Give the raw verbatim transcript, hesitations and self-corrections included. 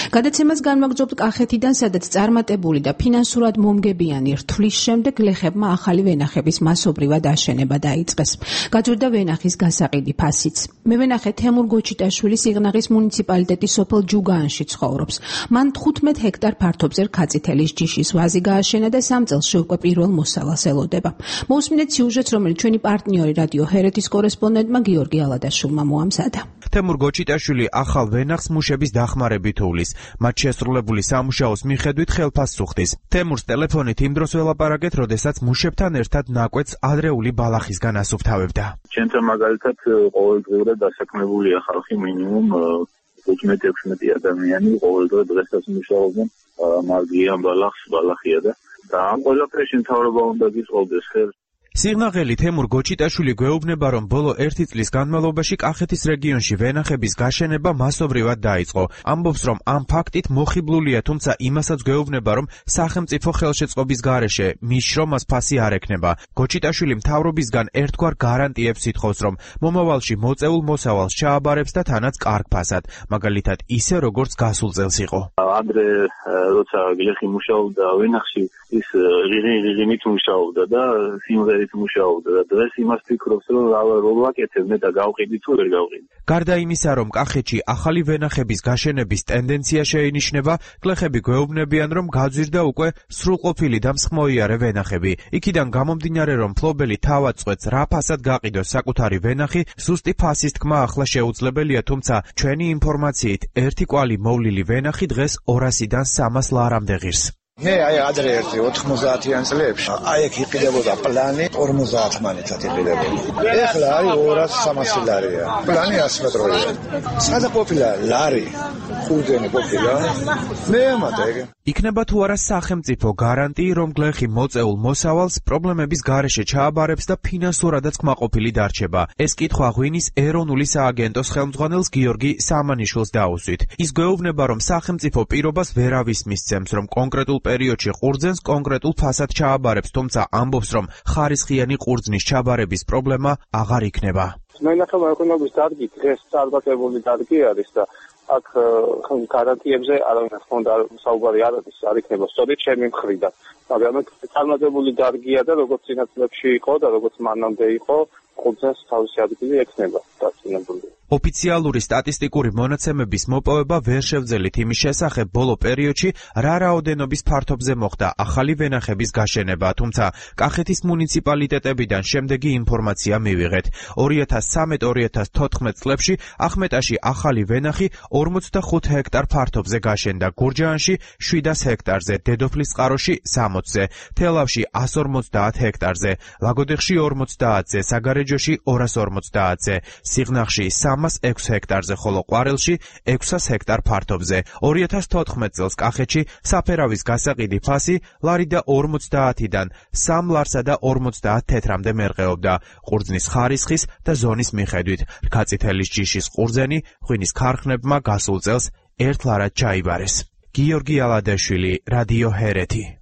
გადაცემას განვაგრძობთ კახეთიდან, სადაც წარმატებული და ფინანსურად მომგებიანი რთვლის შემდეგ გლეხებმა ახალი ვენახების მასობრივად აშენება დაიწყეს. გაძვირდა ვენახის გასაყიდი ფასიც. მევენახე თემურ გოჩიტაშვილი სიღნაღის მუნიციპალიტეტის სოფელ ჯუგაანში ცხოვრობს. მან თხუთმეტ ჰექტარ ფართობზე რქაწითელის ჯიშის ვაზი გააშენა და სამ წელში უკვე პირველ მოსავალს ელოდება. მოусმინეთ სიუჟეტს, რომელიც ჩვენი პარტნიორი რადიო ჰერეთის კორესპონდენტმა გიორგი ალადაშვილმა მოამზადა. თემურ გოჩიტაშვილი ახალ ვენახს მუშების დახმარებით უვლის. მათ შესრულებული სამუშაოს მიხედვით ხელფასს უხდის. თემურს ტელეფონით იმ დროს ველაპარაკეთ, როდესაც მუშებთან ერთად ნაკვეთს ადრეული ბალახისგან ასუფთავებდა. ჩვენთან მაგალითად ყოველდღიურად დასაქმებულია ხალხი მინიმუმ ოცდაათი ექვსმეტი ადამიანი ყოველდღე დღესაც მუშაობენ მარგიან ბალახს, ბალახია და და ამ ყველაფერში მთავრობა უნდა გისყოლდეს ხელს. სიღნაღელი თემურ გოჩიტაშვილი გვეუბნება, რომ ბოლო ერთი წლის განმავლობაში კახეთის რეგიონში ვენახების გაშენება მასობრივად დაიწყო. ამბობს, რომ ამ ფაქტით მოხიბლულია, თუმცა იმასაც გვეუბნება, რომ სახელმწიფო ხელშეწყობის გარეშე მის შრომას ფასი არ ექნება. გოჩიტაშვილი მთავრობისგან ერთგვარ გარანტიებს ითხოვს, რომ მომავალში მოწეულ მოსავალს ჩააბარებს და თანაც კარგ ფასად, მაგალითად ისე როგორც გასულ წელს იყო. ადრე როცა გლეხი მუშაობდა ვენახში, ის რიღინით მუშაობდა და სიმღერით მუშაობდა და დღეს იმას ფიქრობს, რომ რო ვაკეთებ და გავყიდი თუ ვერ გავყიდი. გარდა იმისა, რომ კახეთში ახალი ვენახების გაშენების ტენდენცია შეინიშნება, გლეხები გვეუბნებიან, რომ გაძვირდა უკვე სრულყოფილი და მსხმოიარე ვენახები. იქიდან გამომდინარე, რომ მფლობელი თავად წვეთს რა ფასად გაყიდოს საკუთარი ვენახი, ზუსტი ფასის თქმა ახლა შეუძლებელია, თუმცა ჩვენი ინფორმაციით ერთი კვალი მოვლილი ვენახი დღეს ორასიდან სამას ლარამდე ღირს. მე აი ადრე ერთი ოთხმოცდაათიან წლებში აი ეგ იყიდებოდა პლანი ორმოცდაათ მანეთად იყიდებოდა. ეხლა არის ორას სამასი ლარია. პლანი ასი მეტროა. სადა ყოფილა ლარი ხუთენი ყოფილა. მე ამადა ეგ. იქნება თუ არა სახელმწიფო გარანტიი, რომ გლეხი მოწეულ მოსავალს პრობლემების გარეშე ჩააბარებს და ფინანსურადაც კმაყოფილი დარჩება. ეს კითხვა ღვინის ეროვნული სააგენტოს ხელმძღვანელს გიორგი სამანიშვილს დაუსვით. ის გვეუბნება, რომ სახელმწიფო პირობას ვერავის მისცემს, რომ კონკრეტულ პერიოდში ყურძენს კონკრეტულ ფასად ჩააბარებს, თუმცა ამბობს, რომ ხარისხიანი ყურძნის ჩაბარების პრობლემა აღარ იქნება. მენახება ეკონომიკის დარგი დღეს წარმატებული დარგი არის და აქ გარანტიებზე არავის ხონდა საუბარი არ არის, არ იქნება სწორედ ჩემი მხრიდან. მაგრამ წარმატებული დარგია და როგორც წინა წლებში იყო და როგორც მანამდე იყო, ყურძენს თავისი ადგილი ექნება დაწინებული. ოფიციალური სტატისტიკური მონაცემების მოპოვება ვერ შევძელით იმის შესახებ, ბოლო პერიოდში რა რაოდენობის ფართობზე მოხდა ახალი ვენახების გაშენება, თუმცა კახეთის მუნიციპალიტეტებიდან შემდეგი ინფორმაცია მივიღეთ. ორი ათას სამი ორი ათას თოთხმეტ წლებში ახმეტაში ახალი ვენახი ორმოცდახუთ ჰექტარ ფართობზე გაშენდა, გურჯაანში შვიდას ჰექტარზე, დედოფლისწყაროში სამოცზე, თელავში ასს ორმოცდაათ ჰექტარზე, ლაგოდეხში ორმოცდაათზე, საგარეჯოში ორას ორმოცდაათზე, სიღნაღში სამას ექვსი ჰექტარზე, ხოლო ყვარელში ექვსას ჰექტარ ფართობზე. ორი ათას თოთხმეტ წელს კახეთში საფერავის გასაყიდი ფასი ლარი და ორმოცდაათიდან სამ ლარსა და ორმოცდაათ თეთრამდე მერყეობდა, ყურძნის ხარისხის და ზონის მიხედვით. რქაწითელის ჯიშის ყურძენი ღვინის ქარხნებმა გასულ წელს ერთ ლარად ჩაიბარეს. გიორგი ალადაშვილი, რადიო ჰერეთი.